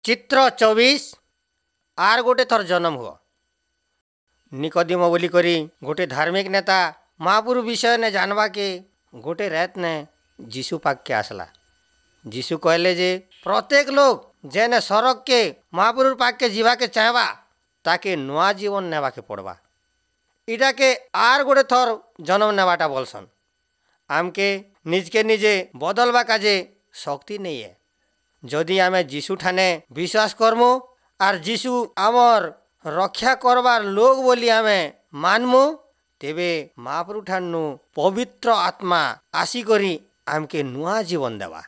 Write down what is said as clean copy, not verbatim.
ଚିତ୍ର 24। ଆର୍ ଗୋଟେ ଥର ଜନମ ହୁଅ। ନିକଦିମ ବୋଲିକରି ଗୋଟେ ଧାର୍ମିକ ନେତା ମହାପୁରୁ ବିଷୟ ନେ ଜାନବାକେ ଗୋଟେ ରାତ ନେ ଯୀଶୁ ପାଖକେ ଆସିଲା। ଯୀଶୁ କହିଲେ ଯେ ପ୍ରତ୍ୟେକ ଲୋକ ଯେନେ ସଡ଼କକେ ମହାପୁରୁର ପାଖକେ ଯିବାକେ ଚାହେଁବା, ତାକେ ନୂଆ ଜୀବନ ନେବାକେ ପଡ଼ବା। ଇଟାକେ ଆର୍ ଗୋଟେ ଥର ଜନମ ନେବାଟା ବୋଲସନ୍। ଆମକେ ନିଜକେ ନିଜେ ବଦଲବା କାଜେ ଶକ୍ତି ନେଇ ଏ। ଯଦି ଆମେ ଯୀଶୁ ଠାନେ ବିଶ୍ୱାସ କରମୁ ଆର୍ ଯୀଶୁ ଆମର୍ ରକ୍ଷା କରବାର୍ ଲୋକ ବୋଲି ଆମେ ମାନମୁ, ତେବେ ମହାପ୍ରଭୁ ଠାନୁ ପବିତ୍ର ଆତ୍ମା ଆସିକରି ଆମକେ ନୂଆ ଜୀବନ ଦେବା।